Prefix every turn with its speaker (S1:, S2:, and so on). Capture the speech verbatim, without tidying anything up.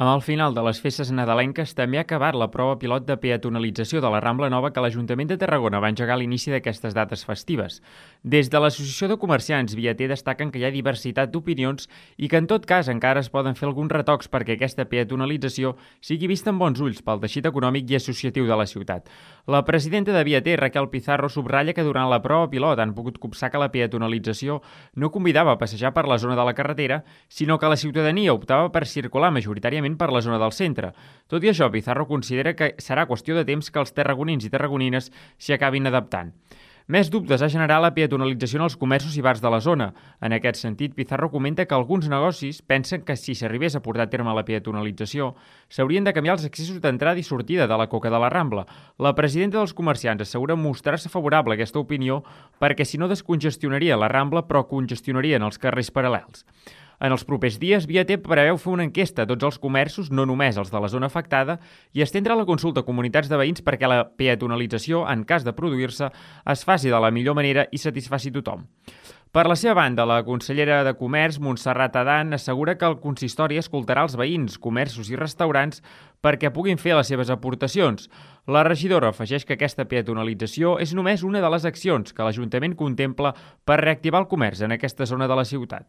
S1: Amb el final de les festes nadalenques també ha acabat la prova pilot de peatonalització de la Rambla Nova que l'Ajuntament de Tarragona va engegar a l'inici d'aquestes dates festives. Des de l'Associació de Comerciants Viater destaquen que hi ha diversitat d'opinions i que en tot cas encara es poden fer alguns retocs perquè aquesta peatonalització sigui vista amb bons ulls pel teixit econòmic i associatiu de la ciutat. La presidenta de Viater, Raquel Pizarro, subratlla que durant la prova pilot han pogut copsar que la peatonalització no convidava a passejar per la zona de la carretera, sinó que la ciutadania optava per circular majoritàriament per la zona del centre. Tot i això, Pizarro considera que serà qüestió de temps que els tarragonins i tarragonines s'hi acabin adaptant. Més dubtes ha generat la peatonalització en els comerços i bars de la zona. En aquest sentit, Pizarro comenta que alguns negocis pensen que si s'arribés a portar a terme la peatonalització, s'haurien de canviar els accessos d'entrada i sortida de la Coca de la Rambla. La presidenta dels comerciants assegura mostrar-se favorable a aquesta opinió perquè si no descongestionaria la Rambla però congestionarien els carrers paral·lels. En els propers dies, Viater preveu fer una enquesta a tots els comerços, no només els de la zona afectada, i estendre la consulta a comunitats de veïns perquè la peatonalització, en cas de produir-se, es faci de la millor manera i satisfaci tothom. Per la seva banda, la consellera de Comerç, Montserrat Adán, assegura que el consistori escoltarà els veïns, comerços i restaurants perquè puguin fer les seves aportacions. La regidora afegeix que aquesta peatonalització és només una de les accions que l'Ajuntament contempla per reactivar el comerç en aquesta zona de la ciutat.